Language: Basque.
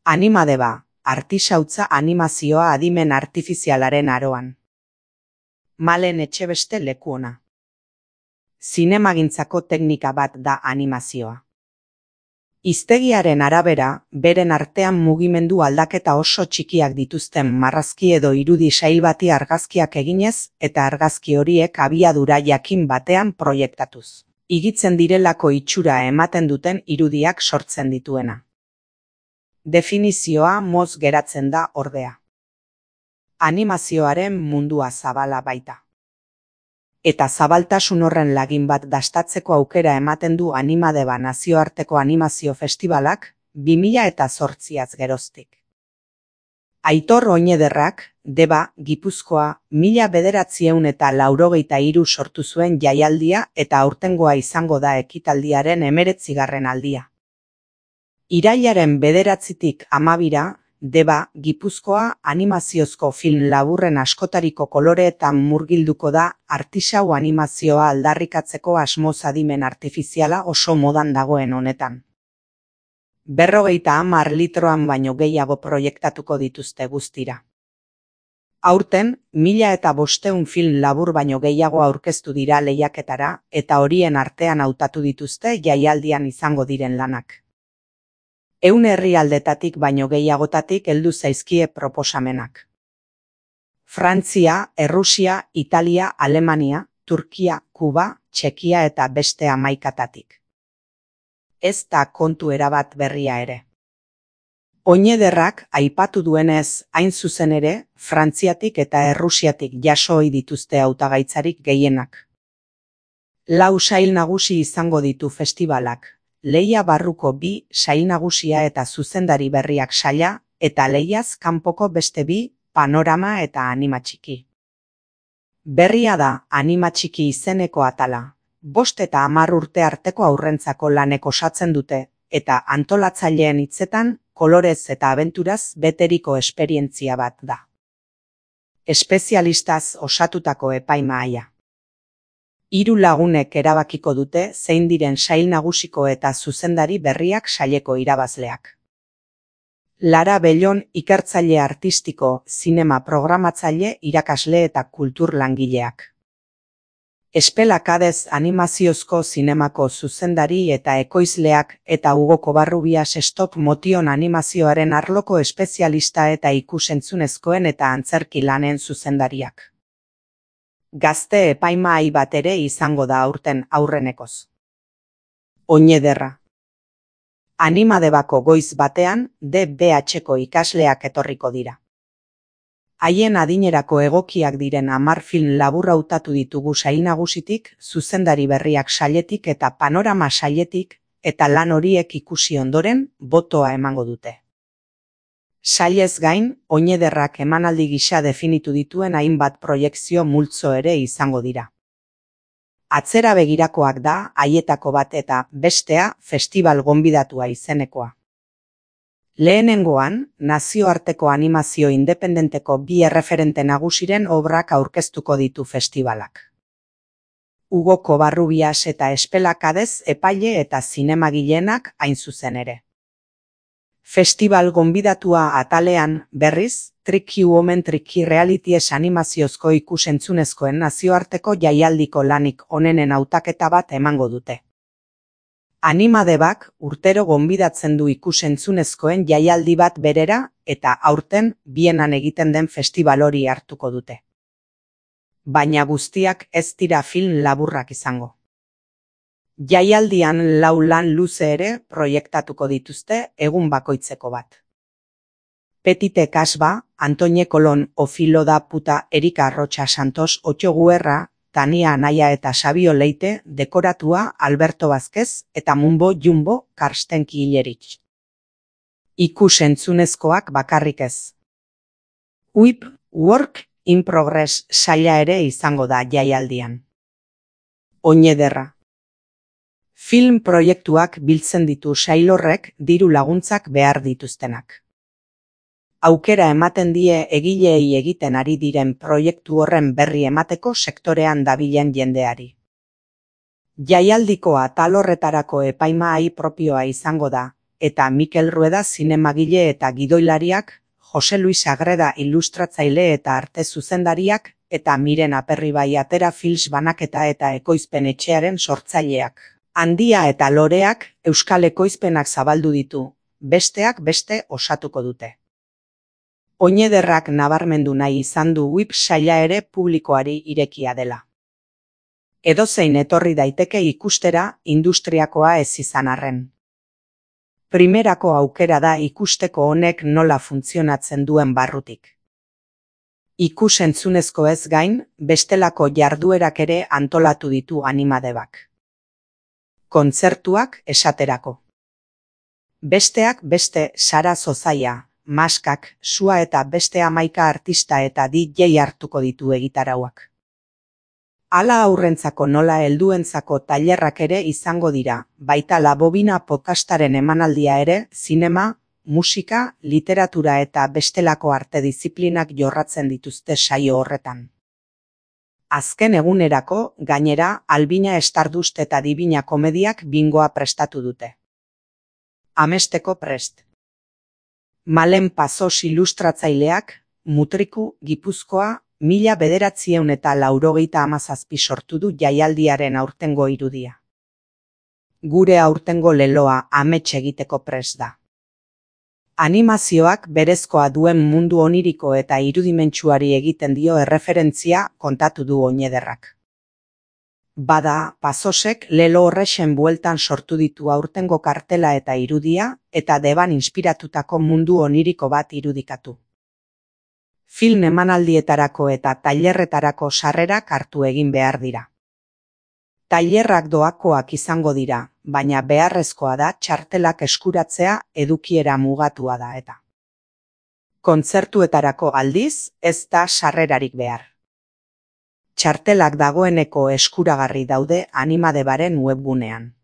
Animadeba, artisautza animazioa adimen artifizialaren aroan. Malen Etxebeste lekuona. Zinemagintzako teknika bat da animazioa. Hiztegiaren arabera, beren artean mugimendu aldaketa oso txikiak dituzten marrazki edo irudi sail bati argazkiak eginez eta argazki horiek abiadura jakin batean proiektatuz. Higitzen direlako itxura ematen duten irudiak sortzen dituena. Definizioa motz geratzen da ordea. Animazioaren mundua zabala baita. Eta zabaltasun horren lagin bat dastatzeko aukera ematen du Animadeba nazioarteko animazio festibalak 2008az geroztik. Aitor Oñederrak, Deba, Gipuzkoa, 1993 sortu zuen jaialdia eta aurtengoa izango da ekitaldiaren 19. aldia. Irailaren 9tik 12ra, Deba, Gipuzkoa animaziozko film laburren askotariko koloreetan murgilduko da artisau animazioa aldarrikatzeko asmoz adimen artifiziala oso modan dagoen honetan. 50 litroan baino gehiago proiektatuko dituzte guztira. Aurten, 1500 film labur baino gehiago aurkeztu dira lehiaketara eta horien artean hautatu dituzte jaialdian izango diren lanak. 100 herrialdetatik baino gehiagotatik heldu zaizkie proposamenak. Frantzia, Errusia, Italia, Alemania, Turkia, Kuba, Txekia eta beste 11tatik. Ez da kontu erabat berria ere. Oñederrak aipatu duenez, hain zuzen ere, Frantziatik eta Errusiatik jaso ohi dituzte hautagaitzarik gehienak. 4 sail nagusi izango ditu festibalak. Lehia barruko 2 sail nagusia eta zuzendari berriak saila, eta lehiaz kanpoko beste 2 panorama eta anima txiki. Berria da anima txiki izeneko atala, 5 eta 10 urte arteko haurrentzako lanek osatzen dute, eta antolatzaileen hitzetan, kolorez eta abenturaz beteriko esperientzia bat da. Espezialistaz osatutako epaimahaia. 3 lagunek erabakiko dute zein diren sail nagusiko eta zuzendari berriak saileko irabazleak. Lara Bellon ikertzaile artistiko, zinema programatzaile, irakasle eta kultur langileak. Espelakadez animaziozko zinemako zuzendari eta ekoizleak eta Hugo Covarrubias stop motion animazioaren arloko espezialista eta ikusentzunezkoen eta antzerki lanen zuzendariak. Gazte epaimahai bat ere izango da aurten aurrenekoz. Oñederra. Animadebako goiz batean DBH-ko ikasleak etorriko dira. Haien adinerako egokiak diren 10 film labur hautatu ditugu sail nagusitik, zuzendari berriak sailetik eta panorama sailetik, eta lan horiek ikusi ondoren, botoa emango dute. Sailez gain, Oñederrak emanaldi gisa definitu dituen hainbat proiekzio multzo ere izango dira. Atzera begirakoak da haietako bat eta bestea festival gonbidatua izenekoa. Lehenengoan, nazioarteko animazio independenteko 2 erreferente nagusiren obrak aurkeztuko ditu festibalak. Hugo Covarrubias eta Espelakadez epaile eta zinemagileenak hain zuzen ere. Festival gonbidatua atalean, berriz, Tricky Woman Tricky Realities animaziozko ikusentzunezkoen nazioarteko jaialdiko lanik onenen hautaketa bat emango dute. Animadebak urtero gonbidatzen du ikusentzunezkoen jaialdi bat berera eta aurten Bienan egiten den festival hori hartuko dute. Baina guztiak ez dira film laburrak izango. Jaialdian 4 lan luze ere proiektatuko dituzte egun bakoitzeko bat. Petite Casba, Antoine Colón, Ofilo da Puta, Erika Rocha Santos, Otxo Guerra, Tania Anaia eta Sabio Leite, dekoratua Alberto Vázquez eta Mumbo Jumbo Karstenki Ilerich. Ikusentzunezkoak bakarrik ez. WIP, Work in Progress saila ere izango da jaialdian. Oñederra. Film proiektuak biltzen ditu sail horrek diru laguntzak behar dituztenak. Aukera ematen die egileei egiten ari diren proiektu horren berri emateko sektorean dabilen jendeari. Jaialdiko atal horretarako epaimahai propioa izango da, eta Mikel Rueda zinemagile eta gidoilariak, Jose Luis Agreda ilustratzaile eta arte zuzendariak, eta Miren Aperribai Atera Films banaketa eta ekoizpen etxearen sortzaileak. Handia eta Loreak euskal ekoizpenak zabaldu ditu, besteak beste osatuko dute. Oinederrak nabarmendu nahi izan du WIP saila ere publikoari irekia dela. Edozein etorri daiteke ikustera industriakoa ez izan arren. Primerako aukera da ikusteko honek nola funtzionatzen duen barrutik. Ikus-entzunezko ez gain, bestelako jarduerak ere antolatu ditu Animadebak. Kontzertuak esaterako. Besteak beste Sara Zozaia, Maskak, Sua eta beste 11 artista eta DJ hartuko ditu egitarauak. Hala haurrentzako nola helduentzako tailerrak ere izango dira, baita La Bobina podcastaren emanaldia ere, zinema, musika, literatura eta bestelako arte diziplinak jorratzen dituzte saio horretan. Azken egunerako, gainera, Albina Stardust eta Dibina komediak bingoa prestatu dute. Amesteko prest. Malen Pazos ilustratzaileak, Mutriku, Gipuzkoa, 1997 sortu du jaialdiaren aurtengo irudia. Gure aurtengo leloa amets egiteko prest da. Animazioak berezkoa duen mundu oniriko eta irudimentsuari egiten dio erreferentzia kontatu du Oinederrak. Bada, Pazosek lelo horrexen bueltan sortu ditu aurtengo kartela eta irudia, eta deban inspiratutako mundu oniriko bat irudikatu. Film emanaldietarako eta tailerretarako sarrerak hartu egin behar dira. Tailerrak doakoak izango dira, baina beharrezkoa da txartelak eskuratzea edukiera mugatua da eta. Kontzertuetarako aldiz, ez da sarrerarik behar. Txartelak dagoeneko eskuragarri daude Animadebaren webgunean.